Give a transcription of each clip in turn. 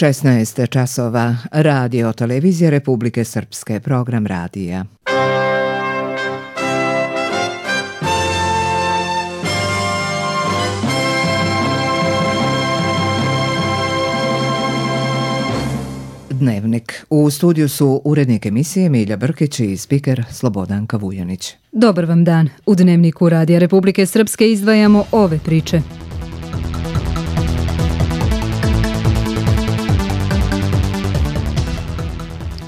16 časova, Radio Televizije Republike Srpske, program radija. Dnevnik. U studiju su urednik emisije Milja Brkić i spiker Slobodanka Vujanić. Dobar vam dan. U Dnevniku Radija Republike Srpske izdvajamo ove priče.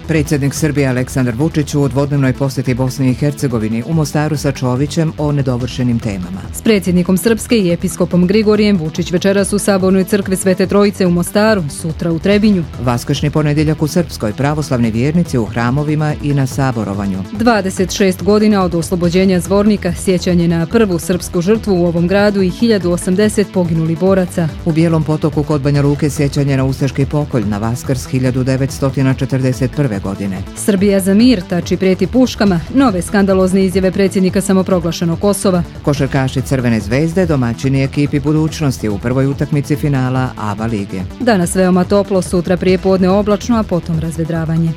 Predsjednik Srbije Aleksandar Vučić u dvodnevnoj posjeti Bosni i Hercegovini u Mostaru sa Čovićem o nedovršenim temama. S predsjednikom Srpske i episkopom Grigorijem Vučić večeras u Sabornoj crkvi Svete Trojice u Mostaru, sutra u Trebinju. Vaskršnji ponedjeljak u Srpskoj, pravoslavni vjernici u hramovima i na saborovanju. 26 godina od oslobođenja Zvornika, sjećanje na prvu srpsku žrtvu u ovom gradu i 1080 poginulih boraca. U Bijelom Potoku kod Banja Luke sjećanje na ustaški pokolj na Vaskrs 1941. godine. Srbija za mir, tači prijeti puškama, nove skandalozne izjave predsjednika samoproglašenog Kosova. Košarkaši Crvene zvezde domaćini ekipi budućnosti u prvoj utakmici finala ABA lige. Danas veoma toplo, sutra prijepodne oblačno, a potom razvedravanje.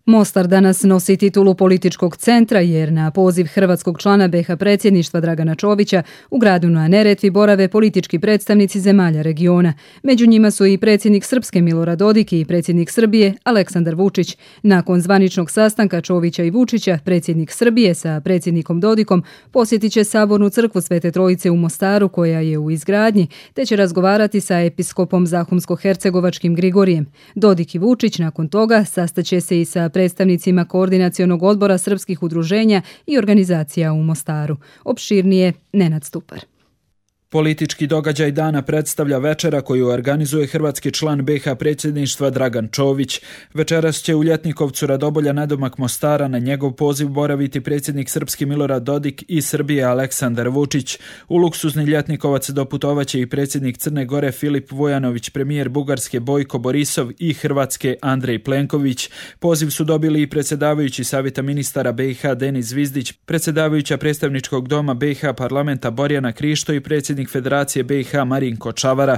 Mostar danas nosi titulu političkog centra jer na poziv hrvatskog člana BiH predsjedništva Dragana Čovića u gradu na Neretvi borave politički predstavnici zemalja regiona. Među njima su i predsjednik Srpske Milorad Dodik i predsjednik Srbije Aleksandar Vučić. Nakon zvaničnog sastanka Čovića i Vučića, predsjednik Srbije sa predsjednikom Dodikom posjetit će Sabornu crkvu Svete Trojice u Mostaru koja je u izgradnji, te će razgovarati sa episkopom Zahumsko-hercegovačkim Grigorijem. Dodik i Vučić nakon toga sastaće se i sa predstavnicima Koordinacionog odbora srpskih udruženja i organizacija u Mostaru. Opširnije Nenad Stupar. Politički događaj dana predstavlja večera koju organizuje hrvatski član BiH predsjedništva Dragan Čović. Večeras će u Ljetnikovcu Radobolja nadomak Mostara na njegov poziv boraviti predsjednik Srpski Milorad Dodik i Srbije Aleksandar Vučić. U luksuzni Ljetnikovac doputovaće i predsjednik Crne Gore Filip Vujanović, premijer Bugarske Bojko Borisov i Hrvatske Andrej Plenković. Poziv su dobili i predsjedavajući Savjeta ministara BiH Denis Zvizdić, predsjedavajuća predstavničkog doma BiH parlamenta Borjana Krišto i predsjednik Federacije BiH Marinko Čavara.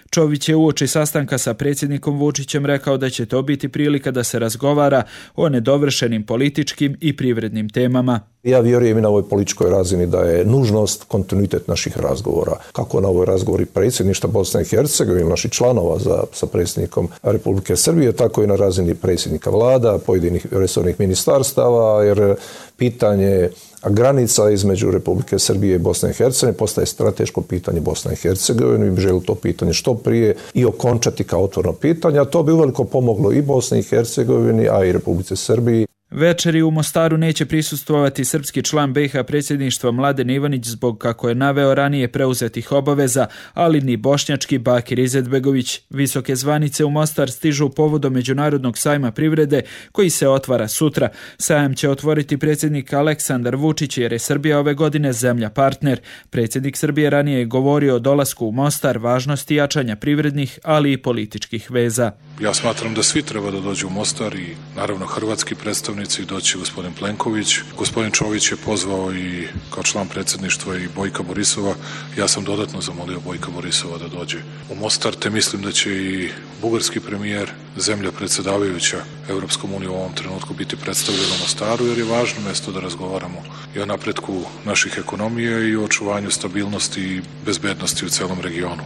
Čović je uoči sastanka sa predsjednikom Vučićem rekao da će to biti prilika da se razgovara o nedovršenim političkim i privrednim temama. Ja vjerujem i na ovoj političkoj razini da je nužnost kontinuitet naših razgovora. Kako na ovoj razgovori predsjedništva Bosne i Hercegovine, naših članova sa predsjednikom Republike Srbije, tako i na razini predsjednika vlada, pojedinih resornih ministarstava, jer pitanje granica između Republike Srbije i Bosne i Hercegovine postaje strateško pitanje Bosne i Hercegovine. Mi bi želili to pitanje što prije i okončati kao otvoreno pitanje, a to bi uveliko pomoglo i Bosni i Hercegovini, a i Republike Srbiji. Večeri u Mostaru neće prisustvovati srpski član BiH predsjedništva Mladen Ivanić zbog, kako je naveo, ranije preuzetih obaveza, ali ni bošnjački Bakir Izetbegović. Visoke zvanice u Mostar stižu povodom Međunarodnog sajma privrede koji se otvara sutra. Sajam će otvoriti predsjednik Aleksandar Vučić jer je Srbija ove godine zemlja partner. Predsjednik Srbije ranije je govorio o dolasku u Mostar, važnosti jačanja privrednih, ali i političkih veza. Ja smatram da svi treba da dođu u Mostar i naravno hrvatski predstavnici doći gospodin Plenković. Gospodin Čović je pozvao i kao član predsjedništva i Bojka Borisova. Ja sam dodatno zamolio Bojka Borisova da dođe u Mostar, te mislim da će i bugarski premijer, zemlja predsjedavajuća Europskom unijom u ovom trenutku biti predstavljen u Mostaru, jer je važno mjesto da razgovaramo i o napretku naših ekonomija i o očuvanju stabilnosti i bezbednosti u celom regionu.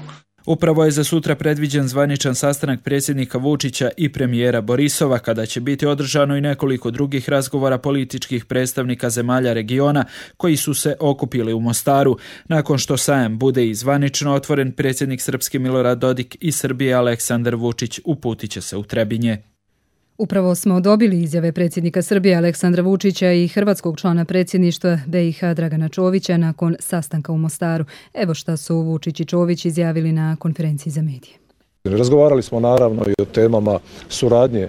Upravo je za sutra predviđen zvaničan sastanak predsjednika Vučića i premijera Borisova, kada će biti održano i nekoliko drugih razgovora političkih predstavnika zemalja regiona koji su se okupili u Mostaru. Nakon što sajam bude i zvanično otvoren, predsjednik Srpske Milorad Dodik i Srbije Aleksandar Vučić uputit će se u Trebinje. Upravo smo dobili izjave predsjednika Srbije Aleksandra Vučića i hrvatskog člana predsjedništva BiH Dragana Čovića nakon sastanka u Mostaru. Evo šta su Vučić i Čović izjavili na konferenciji za medije. Razgovarali smo naravno i o temama suradnje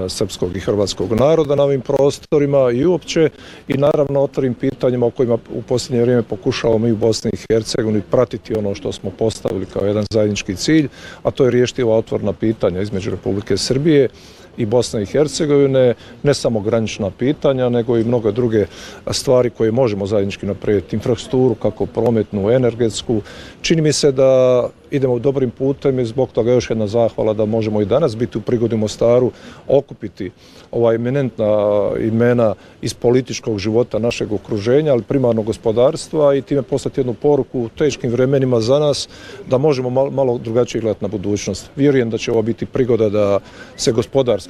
srpskog i hrvatskog naroda na ovim prostorima i uopće i naravno otvorim pitanjima o kojima u posljednje vrijeme pokušavamo i u Bosni i Hercegovini pratiti ono što smo postavili kao jedan zajednički cilj, a to je riješiti ova otvorena pitanja između Republike Srbije i Bosne i Hercegovine, ne samo granična pitanja, nego i mnoge druge stvari koje možemo zajednički napraviti, infrastrukturu, kako prometnu, energetsku. Čini mi se da idemo dobrim putem i zbog toga još jedna zahvala da možemo i danas biti u prigodi u Mostaru, okupiti ova eminentna imena iz političkog života našeg okruženja, ali primarno gospodarstva i time poslati jednu poruku u teškim vremenima za nas da možemo malo drugačije gledati na budućnost. Vjerujem da će ovo biti prigoda da se gospodarska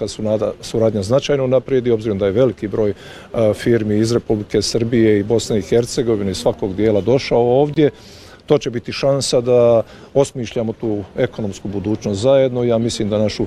suradnja značajno naprijedi, obzirom da je veliki broj firmi iz Republike Srbije i Bosne i Hercegovine iz svakog dijela došao ovdje. To će biti šansa da osmišljamo tu ekonomsku budućnost zajedno. Ja mislim da našu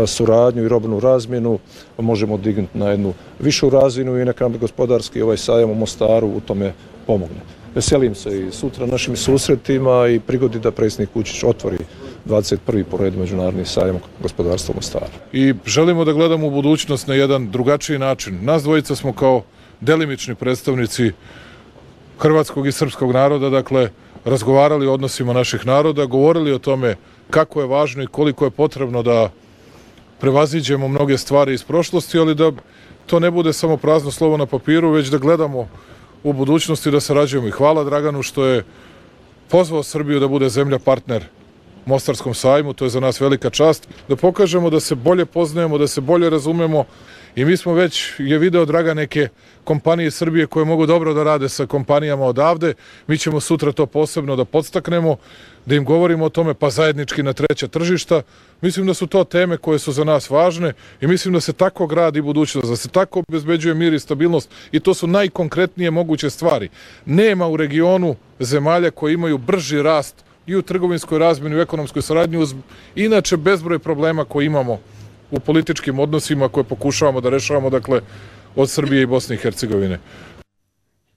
suradnju i robnu razmjenu možemo dignuti na jednu višu razinu i neka nam gospodarski ovaj sajam u Mostaru u tome pomogne. Veselim se i sutra našim susretima i prigodi da predsjednik Vučić otvori 21. po redu međunarodni sajam gospodarstva u Mostaru. I želimo da gledamo u budućnost na jedan drugačiji način. Nas dvojica smo kao delimični predstavnici hrvatskog i srpskog naroda, dakle, razgovarali o odnosima naših naroda, govorili o tome kako je važno i koliko je potrebno da prevaziđemo mnoge stvari iz prošlosti, ali da to ne bude samo prazno slovo na papiru, već da gledamo u budućnosti i da sarađujemo. I hvala Draganu što je pozvao Srbiju da bude zemlja partner Mostarskom sajmu, to je za nas velika čast, da pokažemo da se bolje poznajemo, da se bolje razumemo i mi smo već, je video Dragan, neke kompanije Srbije koje mogu dobro da rade sa kompanijama odavde, mi ćemo sutra to posebno da podstaknemo, da im govorimo o tome, pa zajednički na treća tržišta. Mislim da su to teme koje su za nas važne i mislim da se tako gradi budućnost, da se tako obezbeđuje mir i stabilnost i to su najkonkretnije moguće stvari. Nema u regionu zemalja koje imaju brži rast i u trgovinskoj razmjeni, u ekonomskoj saradnji, uz inače bezbroj problema koje imamo u političkim odnosima koje pokušavamo da rešavamo, dakle, od Srbije i Bosne i Hercegovine.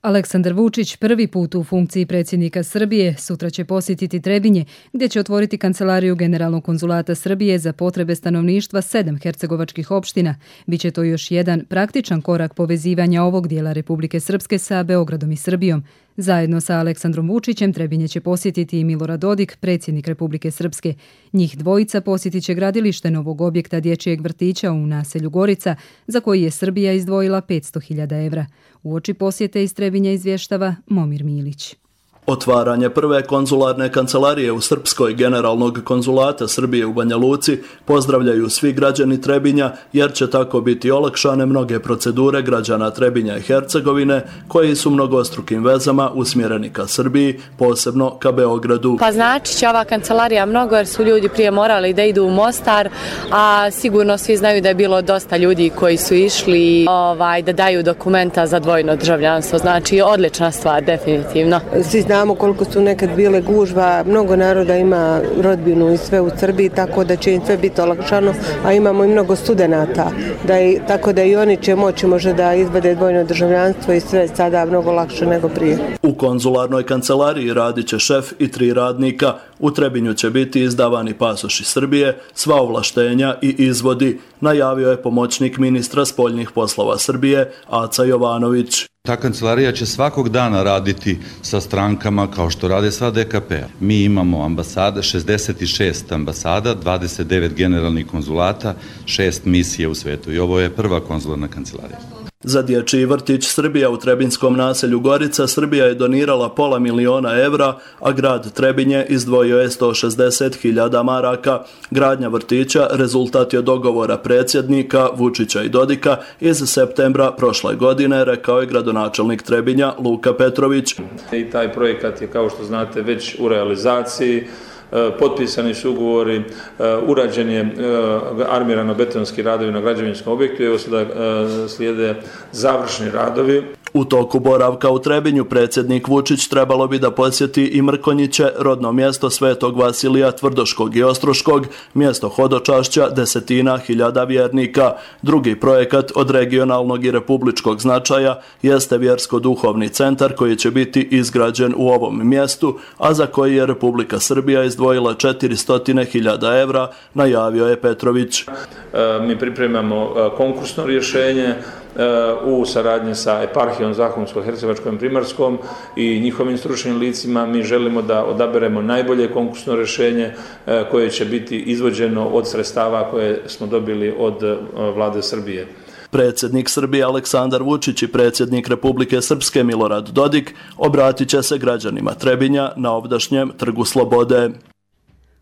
Aleksandar Vučić prvi put u funkciji predsjednika Srbije sutra će posjetiti Trebinje, gdje će otvoriti kancelariju Generalnog konzulata Srbije za potrebe stanovništva 7 hercegovačkih opština. Biće to još jedan praktičan korak povezivanja ovog dijela Republike Srpske sa Beogradom i Srbijom. Zajedno sa Aleksandrom Vučićem Trebinje će posjetiti i Milorad Dodik, predsjednik Republike Srpske. Njih dvojica posjetit će gradilište novog objekta dječjeg vrtića u naselju Gorica, za koji je Srbija izdvojila 500.000 evra. Uoči posjete iz Trebinja izvještava Momir Milić. Otvaranje prve konzularne kancelarije u Srpskoj Generalnog konzulata Srbije u Banja Luci pozdravljaju svi građani Trebinja, jer će tako biti olakšane mnoge procedure građana Trebinja i Hercegovine koji su mnogostrukim vezama usmjereni ka Srbiji, posebno ka Beogradu. Pa znači će ova kancelarija mnogo, jer su ljudi prije morali da idu u Mostar, a sigurno svi znaju da je bilo dosta ljudi koji su išli da daju dokumenta za dvojno državljanstvo. Znači odlična stvar, definitivno. Znamo koliko su nekad bile gužva, mnogo naroda ima rodbinu i sve u Srbiji, tako da će im sve biti olakšano, a imamo i mnogo studenata, tako da i oni će moći možda da izvade dvojno državljanstvo i sve sada mnogo lakše nego prije. U konzularnoj kancelariji radit će šef i 3 radnika. U Trebinju će biti izdavani pasoši Srbije, sva ovlaštenja i izvodi, najavio je pomoćnik ministra spoljnih poslova Srbije, Aca Jovanović. Ta kancelarija će svakog dana raditi sa strankama kao što rade sva DKP-a. Mi imamo ambasada, 66 ambasada, 29 generalnih konzulata, 6 misije u svetu i ovo je prva konzularna kancelarija. Za dječji vrtić Srbija u trebinskom naselju Gorica Srbija je donirala $500.000 evra, a grad Trebinje izdvojio je 160.000 maraka. Gradnja vrtića rezultat je dogovora predsjednika Vučića i Dodika iz septembra prošle godine, rekao je gradonačelnik Trebinja Luka Petrović. I taj projekat je, kao što znate, već u realizaciji. Potpisani su ugovori, urađen je armirano-betonski radovi na građevinskom objektu i evo sada slijede završni radovi. U toku boravka u Trebinju predsjednik Vučić trebalo bi da posjeti i Mrkonjiće, rodno mjesto Svetog Vasilija Tvrdoškog i Ostroškog, mjesto hodočašća desetina hiljada vjernika. Drugi projekat od regionalnog i republičkog značaja jeste vjersko-duhovni centar koji će biti izgrađen u ovom mjestu, a za koji je Republika Srbija izdvojila 400.000 evra, najavio je Petrović. Mi pripremamo konkursno rješenje u saradnji sa eparhijom Zahumsko-hercegovačkom i Primorskom i njihovim stručnim licima. Mi želimo da odaberemo najbolje konkursno rješenje koje će biti izvođeno od sredstava koje smo dobili od vlade Srbije. Predsjednik Srbije Aleksandar Vučić i predsjednik Republike Srpske Milorad Dodik obratit će se građanima Trebinja na ovdašnjem Trgu Slobode.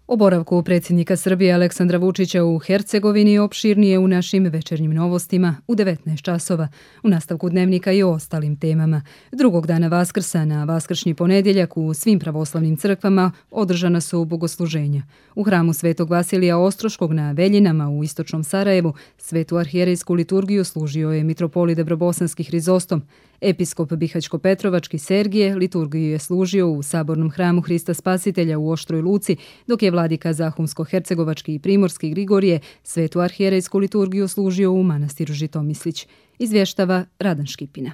O boravku predsjednika Srbije Aleksandra Vučića u Hercegovini opširnije u našim večernjim novostima u 19 časova. U nastavku dnevnika i o ostalim temama. Drugog dana Vaskrsa na vaskršnji ponedjeljak u svim pravoslavnim crkvama održana su bogosluženja. U hramu Svetog Vasilija Ostroškog na Veljinama u istočnom Sarajevu svetu arhijerejsku liturgiju služio je mitropolit Debrobosanski Hrizostom. Episkop Bihaćko-Petrovački Sergije liturgiju je služio u sabornom hramu Hrista Spasitelja u Oštroj Luci, dok je vladika Zahumsko-Hercegovački i Primorski Grigorije svetu arhijerejsku liturgiju služio u manastiru Žitomislić. Izvještava Radan Škipina.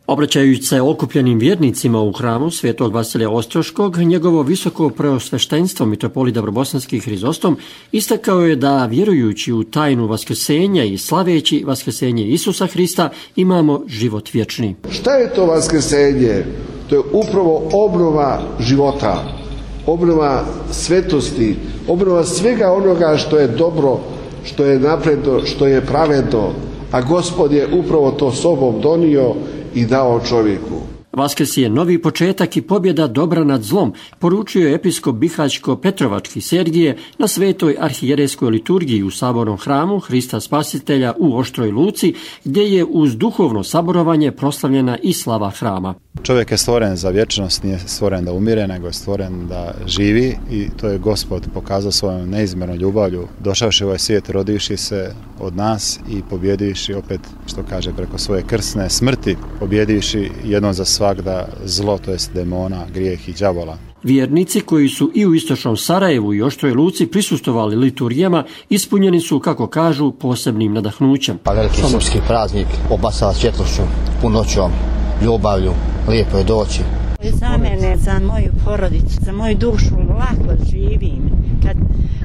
Obraćajući se okupljenim vjernicima u hramu Svetog Vasilija Ostroškog, njegovo visoko preosveštenstvo mitropolit Debrobosanski Hrizostom istakao je da vjerujući u tajnu vaskrsenja i slaveći vaskrsenje Isusa Hrista imamo život vječni. Šta je to vaskrsenje? To je upravo obnova života, obnova svetosti, obnova svega onoga što je dobro, što je napredno, što je pravedno, a Gospod je upravo to sobom donio i dao čovjeku. Vaskrs je novi početak i pobjeda dobra nad zlom, poručio je episkop Bihaćko-Petrovački Sergije na svetoj arhijerejskoj liturgiji u sabornom hramu Hrista Spasitelja u Oštroj Luci, gdje je uz duhovno saborovanje proslavljena i slava hrama. Čovjek je stvoren za vječnost, nije stvoren da umire, nego je stvoren da živi i to je Gospod pokazao svojom neizmjernom ljubavlju, došavši u ovaj svijet, rodivši se od nas i pobjedivši opet, što kaže, preko svoje krsne smrti, pobjedivši jednom za svagda zlo, to jest demona, grijeh i đavola. Vjernici koji su i u istočnom Sarajevu i Oštroj Luci prisustvovali liturgijama ispunjeni su, kako kažu, posebnim nadahnućem. Veliki srpski praznik obasava svjetlošću, punoćom, ljubavlju, lijepo je doći. Za mene, za moju porodicu, za moju dušu lako živim, kad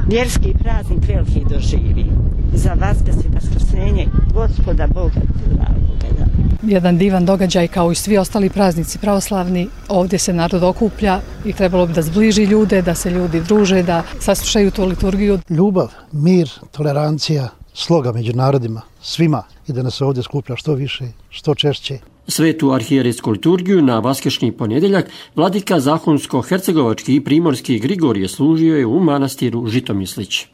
vjerski praznik veliki doživim. Za Vaskrs i vaskrsenje Gospoda Boga dragoga. Jedan divan događaj kao i svi ostali praznici pravoslavni. Ovdje se narod okuplja i trebalo bi da zbliži ljude, da se ljudi druže, da saslušaju tu liturgiju. Ljubav, mir, tolerancija, sloga među narodima, svima, i da nas se ovdje skuplja što više, što češće. Svetu arhijerejsku liturgiju na vaskršnji ponedjeljak vladika Zahumsko-Hercegovački i Primorski Grigorije služio je u manastiru Žitomislić.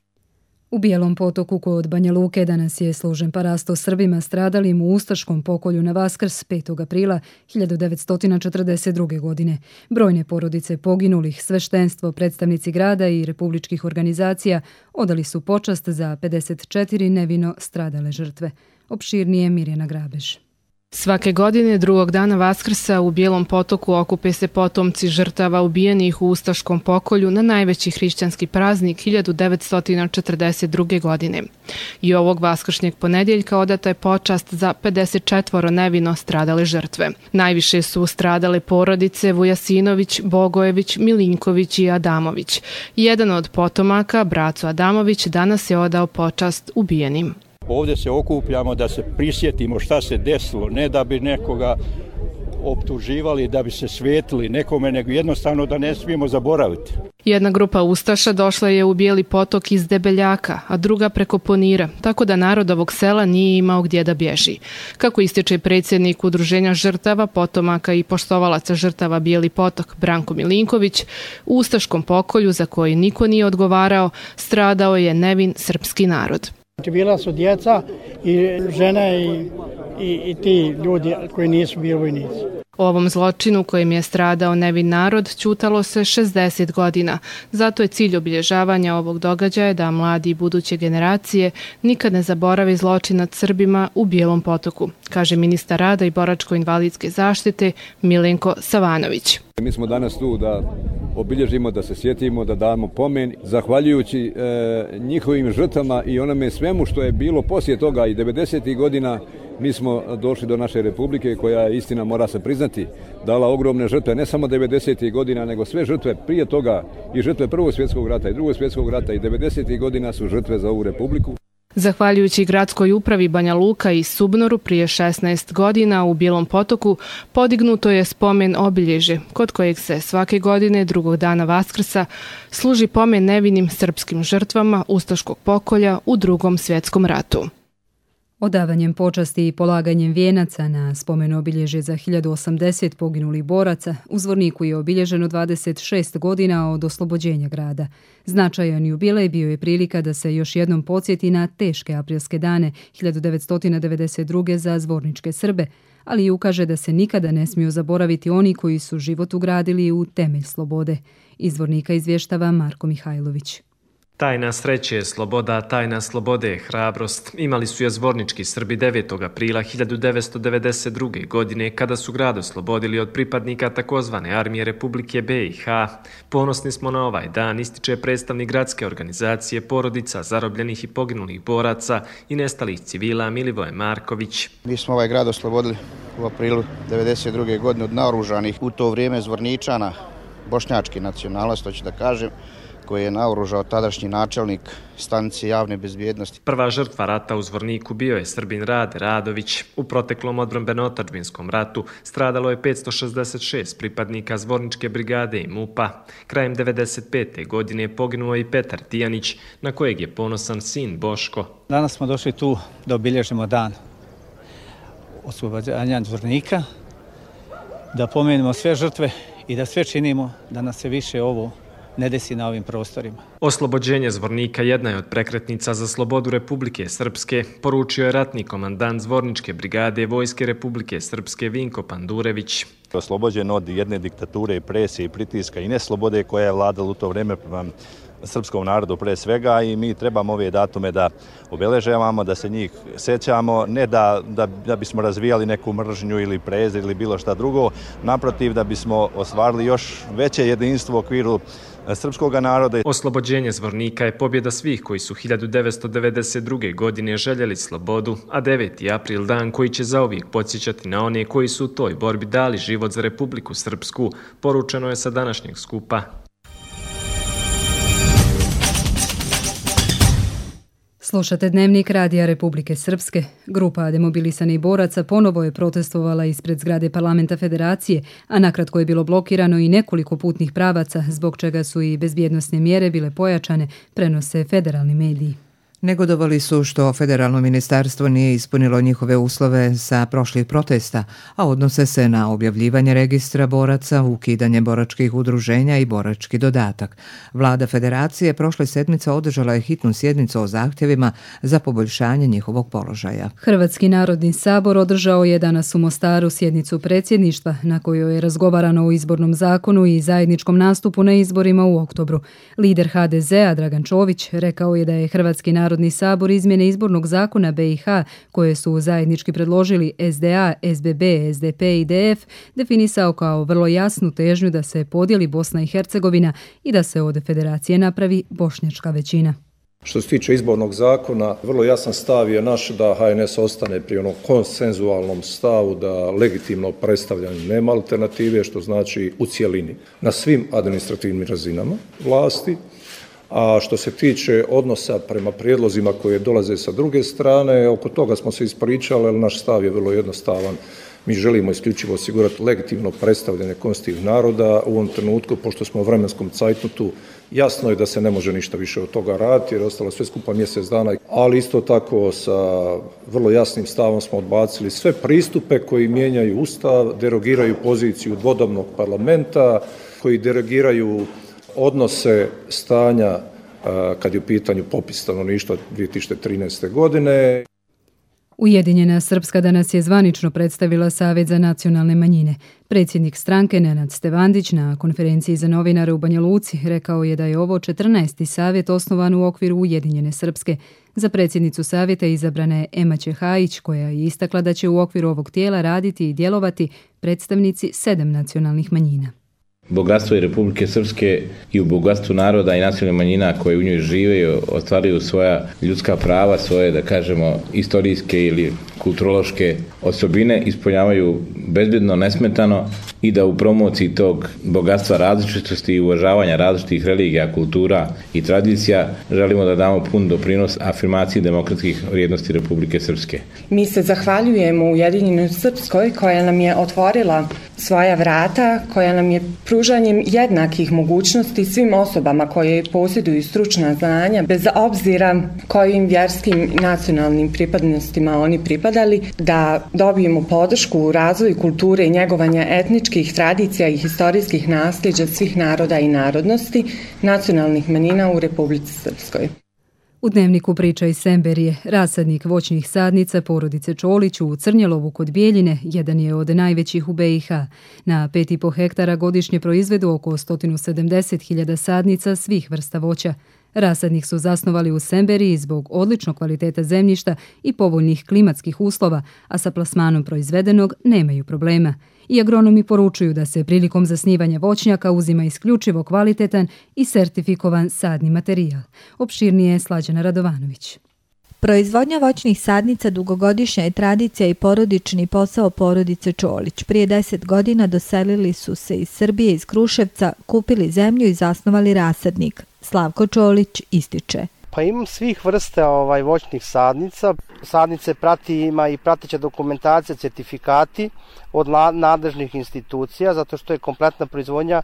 U Bijelom Potoku kod Banja Luke danas je služen parasto Srbima stradalim u ustaškom pokolju na Vaskrs 5. aprila 1942. godine. Brojne porodice poginulih, sveštenstvo, predstavnici grada i republičkih organizacija odali su počast za 54 nevino stradale žrtve. Opširnije Mirjana Grabež. Svake godine drugog dana Vaskrsa u Bijelom Potoku okupe se potomci žrtava ubijenih u ustaškom pokolju na najveći hrišćanski praznik 1942. godine. I ovog vaskršnjeg ponedjeljka odata je počast za 54 nevino stradale žrtve. Najviše su stradale porodice Vujasinović, Bogojević, Milinković i Adamović. Jedan od potomaka, braco Adamović, danas je odao počast ubijenim. Ovdje se okupljamo da se prisjetimo šta se desilo, ne da bi nekoga optuživali, da bi se svetili nekome, nego jednostavno da ne smijemo zaboraviti. Jedna grupa ustaša došla je u Bijeli Potok iz Debeljaka, a druga preko Ponira, tako da narod ovog sela nije imao gdje da bježi. Kako ističe predsjednik Udruženja žrtava, potomaka i poštovalaca žrtava Bijeli Potok Branko Milinković, u ustaškom pokolju za koji niko nije odgovarao, stradao je nevin srpski narod. Bila su djeca i žene i ti ljudi koji nisu bili vojnici. O ovom zločinu kojim je stradao nevin narod ćutalo se 60 godina. Zato je cilj obilježavanja ovog događaja da mladi i buduće generacije nikad ne zaborave zločin nad Srbima u Bijelom Potoku, kaže ministar rada i boračko-invalidske zaštite Milenko Savanović. Mi smo danas tu da obilježimo, da se sjetimo, da damo pomen, zahvaljujući njihovim žrtvama i onome svemu što je bilo poslije toga i 90. godina. Mi smo došli do naše republike koja je, istina mora se priznati, dala ogromne žrtve, ne samo 90. godina, nego sve žrtve prije toga i žrtve Prvog svjetskog rata i Drugog svjetskog rata i 90. godina su žrtve za ovu republiku. Zahvaljujući gradskoj upravi Banja Luka i Subnoru prije 16 godina u Bijelom Potoku podignuto je spomen obilježje kod kojeg se svake godine drugog dana Vaskrsa služi pomen nevinim srpskim žrtvama ustaškog pokolja u Drugom svjetskom ratu. Odavanjem počasti i polaganjem vijenaca na spomen obilježje za 1080 poginulih boraca u Zvorniku je obilježeno 26 godina od oslobođenja grada. Značajan jubilej bio je prilika da se još jednom podsjeti na teške aprilske dane 1992. za zvorničke Srbe, ali i ukaže da se nikada ne smiju zaboraviti oni koji su život ugradili u temelj slobode. Iz Zvornika izvještava Marko Mihajlović. Tajna sreće je sloboda, tajna slobode je hrabrost. Imali su je zvornički Srbi 9. aprila 1992. godine kada su grad oslobodili od pripadnika takozvane armije Republike BiH. Ponosni smo na ovaj dan, ističe predstavnik gradske organizacije porodica zarobljenih i poginulih boraca i nestalih civila Milivoje Marković. Mi smo ovaj grad oslobodili u aprilu 1992. godine od naoružanih u to vrijeme zvorničana, bošnjačke nacionalnosti, hoću da kažem, koji je naoružao tadašnji načelnik stanice javne bezbjednosti. Prva žrtva rata u Zvorniku bio je Srbin Rade Radović. U proteklom odbrambeno-otadžbinskom ratu stradalo je 566 pripadnika Zvorničke brigade i MUP-a. Krajem 1995. godine poginuo i Petar Tijanić, na kojeg je ponosan sin Boško. Danas smo došli tu da obilježimo dan oslobođenja Zvornika, da pomenemo sve žrtve i da sve činimo da nas se više ovo ne desi na ovim prostorima. Oslobođenje Zvornika jedna je od prekretnica za slobodu Republike Srpske, poručio je ratni komandant Zvorničke brigade Vojske Republike Srpske Vinko Pandurević. Oslobođen od jedne diktature, presije i pritiska i neslobode koja je vladala u to vrijeme prema srpskom narodu pre svega i mi trebamo ove datume da obeležavamo, da se njih sećamo, ne da bismo razvijali neku mržnju ili prezir ili bilo šta drugo, naprotiv da bismo ostvarili još veće jedinstvo u okviru srpskog naroda. Oslobođenje Zvornika je pobjeda svih koji su 1992. godine željeli slobodu, a 9. april dan koji će zauvijek podsjećati na one koji su u toj borbi dali život za Republiku Srpsku, poručeno je sa današnjeg skupa. Slušate Dnevnik Radija Republike Srpske. Grupa demobilisanih boraca ponovo je protestovala ispred zgrade Parlamenta Federacije, a nakratko je bilo blokirano i nekoliko putnih pravaca, zbog čega su i bezbjednosne mjere bile pojačane, prenose federalni mediji. Negodovali su što federalno ministarstvo nije ispunilo njihove uslove sa prošlih protesta, a odnose se na objavljivanje registra boraca, ukidanje boračkih udruženja i borački dodatak. Vlada federacije prošle sedmice održala je hitnu sjednicu o zahtjevima za poboljšanje njihovog položaja. Hrvatski narodni sabor održao je danas u Mostaru sjednicu predsjedništva na kojoj je razgovarano o izbornom zakonu i zajedničkom nastupu na izborima u oktobru. Lider HDZ-a Dragan Čović rekao je da je Hrvatski Narodni sabor izmjene izbornog zakona BiH, koje su zajednički predložili SDA, SBB, SDP i DF, definisao kao vrlo jasnu težnju da se podijeli Bosna i Hercegovina i da se od federacije napravi bošnjačka većina. Što se tiče izbornog zakona, vrlo jasan stav je naš da HNS ostane pri onom konsenzualnom stavu da legitimno predstavljanje nema alternative, što znači u cjelini na svim administrativnim razinama vlasti. A što se tiče odnosa prema prijedlozima koje dolaze sa druge strane, oko toga smo se ispričali, ali naš stav je vrlo jednostavan. Mi želimo isključivo osigurati legitimno predstavljanje konstitutivnih naroda u ovom trenutku, pošto smo u vremenskom cajtnotu. Jasno je da se ne može ništa više od toga raditi jer je ostalo sve skupa mjesec dana, ali isto tako sa vrlo jasnim stavom smo odbacili sve pristupe koji mijenjaju Ustav, derogiraju poziciju dvodobnog parlamenta, koji derogiraju odnose stanja kad je u pitanju popis stanovništva 2013. godine. Ujedinjena Srpska danas je zvanično predstavila Savjet za nacionalne manjine. Predsjednik stranke Nenad Stevandić na konferenciji za novinare u Banja Luci rekao je da je ovo 14. savjet osnovan u okviru Ujedinjene Srpske. Za predsjednicu savjeta izabrana je Ema Čehajić, koja je istakla da će u okviru ovog tijela raditi i djelovati predstavnici 7 nacionalnih manjina. Bogatstvo je Republike Srpske i u bogatstvu naroda i nacionalnih manjina koje u njoj žive i ostvaruju svoja ljudska prava, svoje, da kažemo, istorijske ili kulturološke osobine ispunjavaju bezbjedno, nesmetano i da u promociji tog bogatstva različitosti i uvažavanja različitih religija, kultura i tradicija želimo da damo pun doprinos afirmaciji demokratskih vrijednosti Republike Srpske. Mi se zahvaljujemo Ujedinjenoj Srpskoj koja nam je otvorila svoja vrata, koja nam je pružanjem jednakih mogućnosti svim osobama koje posjeduju stručna znanja, bez obzira kojim vjerskim i nacionalnim pripadnostima oni pripadali, da dobijemo podršku u razvoju kulture i njegovanja etničkih tradicija i historijskih nasljeđa svih naroda i narodnosti nacionalnih manjina u Republici Srpskoj. U dnevniku priča iz Semberije, rasadnik voćnih sadnica porodice Čolić u Crnjelovu kod Bijeljine jedan je od najvećih u BiH. Na 5,5 hektara godišnje proizvedu oko 170.000 sadnica svih vrsta voća. Rasadnik su zasnovali u Semberiji zbog odličnog kvaliteta zemljišta i povoljnih klimatskih uslova, a sa plasmanom proizvedenog nemaju problema. I agronomi poručuju da se prilikom zasnivanja voćnjaka uzima isključivo kvalitetan i sertifikovan sadni materijal. Opširnije je Slađana Radovanović. Proizvodnja voćnih sadnica dugogodišnja je tradicija i porodični posao porodice Čolić. Prije 10 godina doselili su se iz Srbije, iz Kruševca, kupili zemlju i zasnovali rasadnik. Slavko Čolić ističe. Pa imam svih vrsta voćnih sadnica. Sadnice ima i prateća dokumentacija, certifikati od nadležnih institucija, zato što je kompletna proizvodnja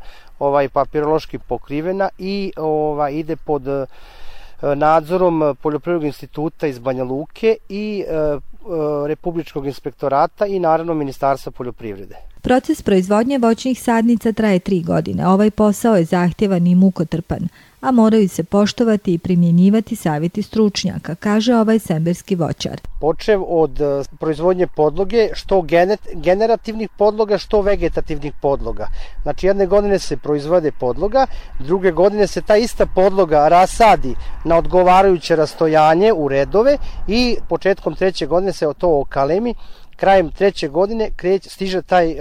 papirološki pokrivena i ide pod nadzorom Poljoprivrednog instituta iz Banja Luke i Republičkog inspektorata i naravno Ministarstva poljoprivrede. Proces proizvodnje voćnih sadnica traje 3 godine. Ovaj posao je zahtjevan i mukotrpan, a moraju se poštovati i primjenjivati savjeti stručnjaka, kaže ovaj semberski voćar. Počev od proizvodnje podloge, što generativnih podloga, što vegetativnih podloga. Znači jedne godine se proizvode podloga, druge godine se ta ista podloga rasadi na odgovarajuće rastojanje u redove i početkom 3. godine se to okalemi. Krajem 3. godine stiže taj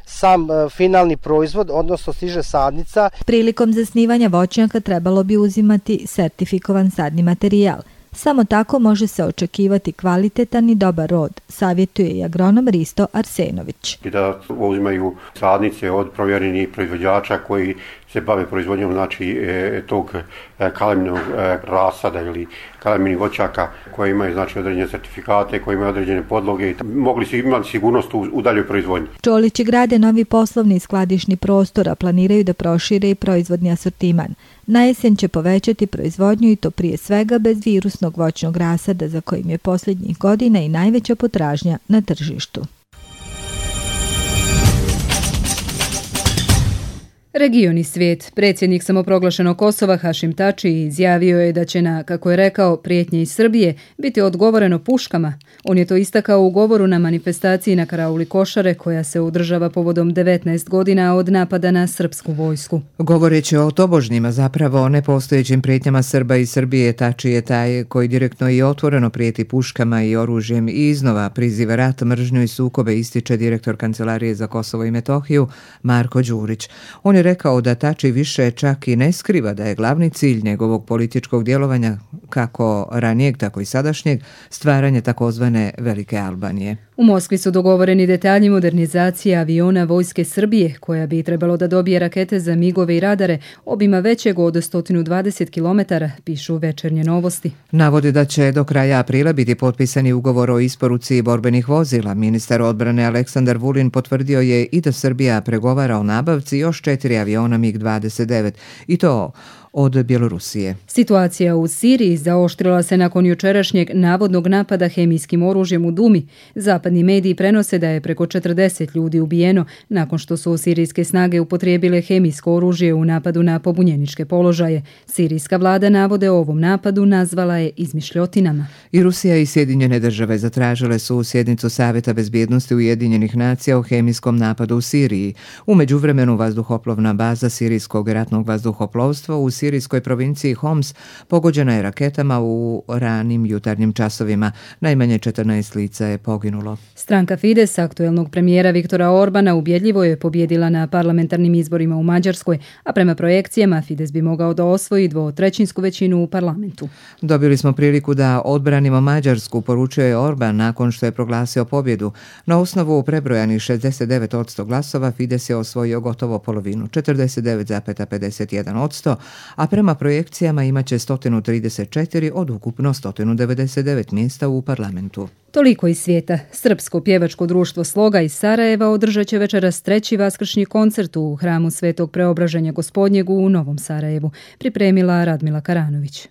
sam finalni proizvod, odnosno stiže sadnica. Prilikom zasnivanja voćnjaka trebalo bi uzimati sertifikovan sadni materijal. Samo tako može se očekivati kvalitetan i dobar rod, savjetuje i agronom Risto Arsenović. I da uzimaju sadnice od provjerenih proizvođača koji se bave proizvodnjom tog kaleminog rasada ili kaleminih voćaka koji imaju određene certifikate, koji imaju određene podloge i mogli su imati sigurnost u daljoj proizvodnji. Čolići grade novi poslovni i skladišni prostor, a planiraju da prošire i proizvodni asortiman. Na jesen će povećati proizvodnju i to prije svega bez virusnog voćnog rasada za kojim je posljednjih godina i najveća potražnja na tržištu. Region i svijet. Predsjednik samoproglašenog Kosova Hašim Tači izjavio je da će na, kako je rekao, prijetnje iz Srbije biti odgovoreno puškama. On je to istakao u govoru na manifestaciji na karauli Košare koja se održava povodom 19 godina od napada na srpsku vojsku. Govoreći o tobožnjima, zapravo o nepostojećim prijetnjama Srba i Srbije, Tači je taj koji direktno i otvoreno prijeti puškama i oružjem i iznova priziva rat, mržnju i sukobe, ističe direktor Kancelarije za Kosovo i Metohiju Marko Đurić. On je rekao da Tači više čak i ne skriva da je glavni cilj njegovog političkog djelovanja, kako ranijeg, tako i sadašnjeg, stvaranje takozvane Velike Albanije. U Moskvi su dogovoreni detalji modernizacije aviona Vojske Srbije, koja bi trebalo da dobije rakete za migove i radare, obima većeg od 120 km, pišu Večernje novosti. Navodi da će do kraja aprila biti potpisani ugovor o isporuci borbenih vozila. Ministar odbrane Aleksandar Vulin potvrdio je i da Srbija pregovara o nabavci još 4 aviona MiG-29 i to od Bjelorusije. Situacija u Siriji zaoštrila se nakon jučerašnjeg navodnog napada hemijskim oružjem u Dumi. Zapadni mediji prenose da je preko 40 ljudi ubijeno nakon što su sirijske snage upotrijebile hemijsko oružje u napadu na pobunjeničke položaje. Sirijska vlada navode o ovom napadu nazvala je izmišljotinama. I Rusija i Sjedinjene države zatražile su sjednicu Savjeta bezbjednosti Ujedinjenih nacija o hemijskom napadu u Siriji. U međuvremenu vazduhoplovna baza sirijskog ratnog vazduhoplovstva u sirijskoj provinciji Homs pogođena je raketama u ranim jutarnjim časovima. Najmanje 14 lica je poginulo. Stranka Fides aktuelnog premijera Viktora Orbana ubjedljivo je pobjedila na parlamentarnim izborima u Mađarskoj, a prema projekcijama Fides bi mogao da osvoji 2/3 većinu u parlamentu. Dobili smo priliku da odbranimo Mađarsku, poručio je Orban nakon što je proglasio pobjedu. Na osnovu prebrojanih 69% glasova Fides je osvojio gotovo polovinu, 49,51%, a prema projekcijama imaće 134 od ukupno 199 mjesta u parlamentu. Toliko iz svijeta. Srpsko pjevačko društvo Sloga iz Sarajeva održat će večeras 3. vaskršnji koncert u hramu Svetog Preobraženja Gospodnjeg u Novom Sarajevu, pripremila Radmila Karanović.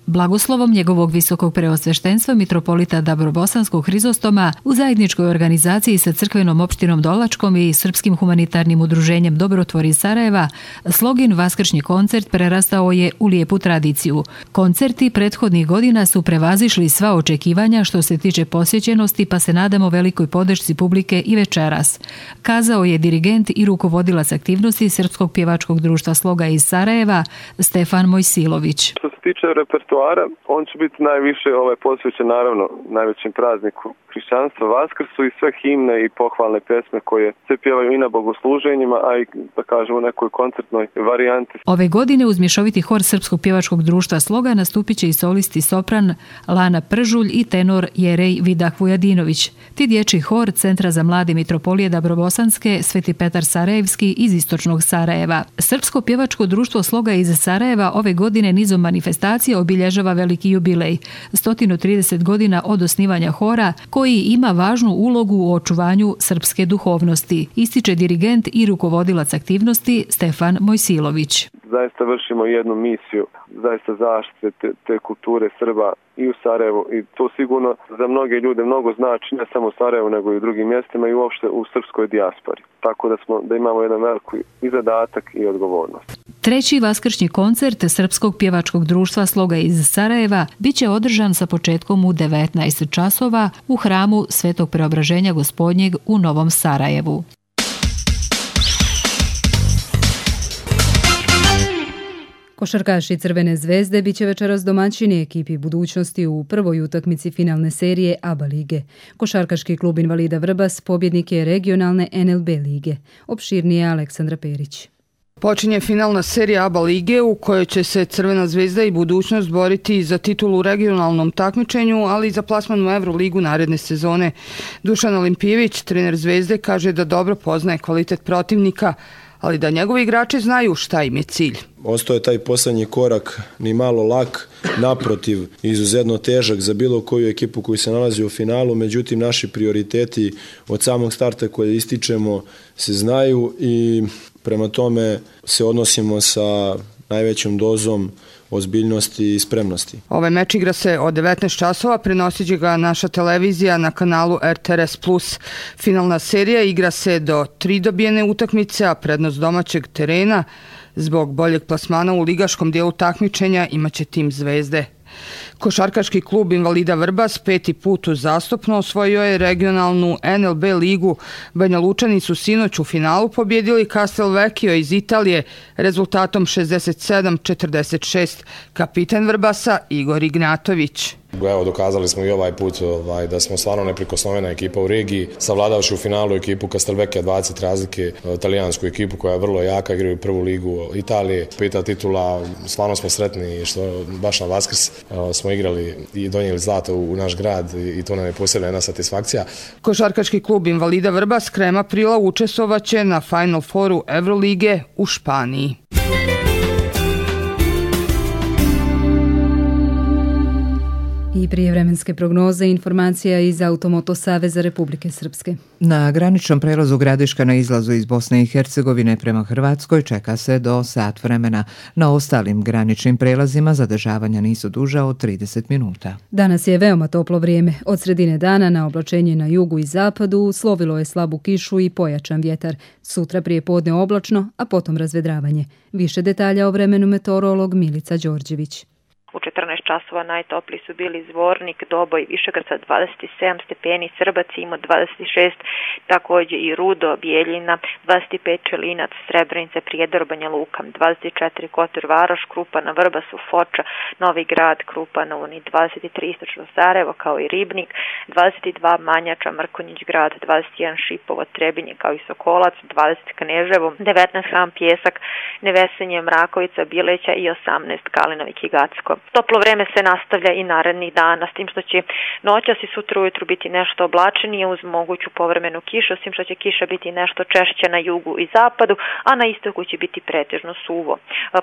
Blagoslovom njegovog visokog preosveštenstva mitropolita Dabrobosanskog Hrizostoma u zajedničkoj organizaciji sa crkvenom opštinom Dolačkom i Srpskim humanitarnim udruženjem Dobrotvor iz Sarajeva, Slogin vaskršnji koncert prerastao je u lijepu tradiciju. Koncerti prethodnih godina su prevazišli sva očekivanja što se tiče posjećenosti, pa se nadamo velikoj podršci publike i večeras, kazao je dirigent i rukovodilac aktivnosti Srpskog pjevačkog društva Sloga iz Sarajeva Stefan Mojsilović. Što se tiče repertoara, on će biti najviše posvećen naravno najvećem prazniku hrišćanstva, Vaskrsu, i sve himne i pohvalne pesme koje se pjevaju i na bogosluženjima, a i da kažemo nekoj koncertnoj varijanti. Ove godine uz mješoviti hor Srpskog pjevačkog društva Sloga nastupit će i solisti sopran Lana Pržulj i tenor Jerej Vidah Vujadinović. Ti dječji hor Centra za mlade mitropolije Dabrobosanske Sveti Petar Sarajevski iz istočnog Sarajeva. Srpsko pjevačko društvo Sloga iz Sarajeva ove godine nizom manifestacija obilježava veliki jubilej, 130 godina od osnivanja hora, koji ima važnu ulogu u očuvanju srpske duhovnosti, ističe dirigent i rukovodilac aktivnosti Stefan Mojsilović. Zaista vršimo jednu misiju, zaista zaštite te kulture Srba i u Sarajevu, i to sigurno za mnoge ljude mnogo znači, ne samo u Sarajevu nego i u drugim mjestima i uopšte u srpskoj dijaspori. Tako da imamo jedan veliki i zadatak i odgovornost. 3. vaskršnji koncert Srpskog pjevačkog društva Sloga iz Sarajeva biće održan sa početkom u 19 časova u hramu Svetog Preobraženja Gospodnjeg u Novom Sarajevu. Košarkaši Crvene zvezde biće večeras domaćini ekipi Budućnosti u prvoj utakmici finalne serije ABA lige. Košarkaški klub Invalida Vrbas pobjednik je regionalne NLB lige. Opširnije Aleksandra Perić. Počinje finalna serija ABA lige u kojoj će se Crvena zvezda i Budućnost boriti za titulu u regionalnom takmičenju, ali i za plasman u Euroligu naredne sezone. Dušan Olimpijević, trener Zvezde, kaže da dobro poznaje kvalitet protivnika, ali da njegovi igrači znaju šta im je cilj. Ostao je taj posljednji korak ni malo lak, naprotiv izuzetno težak za bilo koju ekipu koji se nalazi u finalu, međutim naši prioriteti od samog starta koje ističemo se znaju i prema tome se odnosimo sa najvećom dozom ozbiljnosti i spremnosti. Ovaj meč igra se od 19 časova, prenosit će ga naša televizija na kanalu RTRS+. Finalna serija igra se do 3 dobijene utakmice, a prednost domaćeg terena zbog boljeg plasmana u ligaškom dijelu takmičenja imaće tim Zvezde. Košarkaški klub Invalida Vrbas 5. put uzastopno osvojio je regionalnu NLB ligu. Banja Lučani su sinoć u finalu pobjedili Castelvecchio iz Italije rezultatom 67-46. Kapitan Vrbasa Igor Ignatović. Evo, dokazali smo i ovaj put da smo stvarno neprikosnovena ekipa u regiji, savladavši u finalu ekipu Castelvecchia 20 razlike, talijansku ekipu koja je vrlo jaka, igraju prvu ligu Italije, 5. titula, stvarno smo sretni što baš na Vaskrs smo igrali i donijeli zlato u naš grad i to nam je posebna jedna satisfakcija. Košarkaški klub Invalida Vrbas krajem aprila učestvovaće na Final Fouru Evrolige u Španiji. I prijevremenske prognoze i informacija iz Automoto Saveza Republike Srpske. Na graničnom prelazu Gradiška na izlazu iz Bosne i Hercegovine prema Hrvatskoj čeka se do sat vremena. Na ostalim graničnim prelazima zadržavanja nisu duža od 30 minuta. Danas je veoma toplo vrijeme. Od sredine dana na oblačenje na jugu i zapadu slovilo je slabu kišu i pojačan vjetar. Sutra prije podne oblačno, a potom razvedravanje. Više detalja o vremenu meteorolog Milica Đorđević. U 14 časova najtopliji su bili Zvornik, Doboj, Višegrad sa 27 stepeni, Srbac ima 26, također i Rudo, Bijeljina, 25 Čelinac, Srebrenica, Prijedor, Banja Luka, 24 Kotor, Varoš, Krupana, Vrbasu, Foča, Novi Grad, Krupana, 23 istočno Sarajevo kao i Ribnik, 22 Manjača, Mrkonjić Grad, 21 Šipovo, Trebinje kao i Sokolac, 20 Kneževo, 19 Hram Pjesak, Nevesenje, Mrakovica, Bileća i 18 Kalinovik i Gacko. Toplo vreme se nastavlja i narednih dana, s tim što će noćas i sutra ujutru biti nešto oblačenije uz moguću povremenu kišu, s tim što će kiša biti nešto češće na jugu i zapadu, a na istoku će biti pretežno suvo.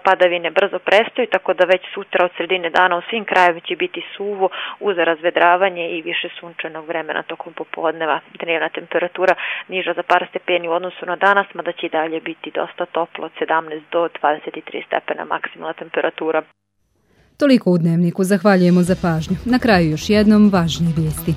Padavine brzo prestaju, tako da već sutra od sredine dana u svim krajevima će biti suvo uz razvedravanje i više sunčanog vremena tokom popodneva. Dnevna temperatura niža za par stepeni u odnosu na danas, mada će i dalje biti dosta toplo od 17 do 23 stepena maksimalna temperatura. Toliko u Dnevniku, zahvaljujemo za pažnju. Na kraju još jednom važnije vijesti.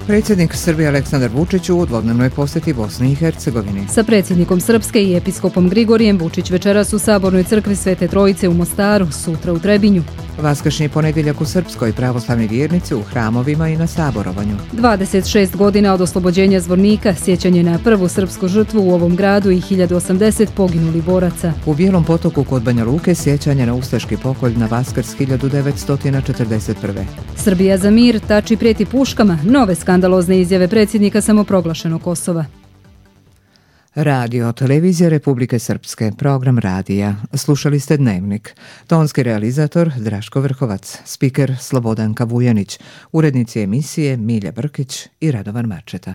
Predsjednik Srbije Aleksandar Vučić u dvodnevnoj posjeti Bosni i Hercegovini. Sa predsjednikom Srpske i episkopom Grigorijem Vučić večeras u Sabornoj crkvi Svete Trojice u Mostaru, sutra u Trebinju. Vaskršnji ponedjeljak u Srpskoj, pravoslavni vjernici u hramovima i na saborovanju. 26 godina od oslobođenja Zvornika, sjećanje na prvu srpsku žrtvu u ovom gradu i 1080 poginuli boraca. U Bijelom Potoku kod Banja Luke sjećanje na ustaški pokolj na Vaskrs 1941. Srbija za mir, Tači prijeti puškama, nove skandalozne izjave predsjednika samoproglašenog Kosova. Radio Televizija Republike Srpske, program radija. Slušali ste Dnevnik. Tonski realizator Draško Vrhovac, spiker Slobodanka Vujanić, urednici emisije Milja Brkić i Radovan Marčeta.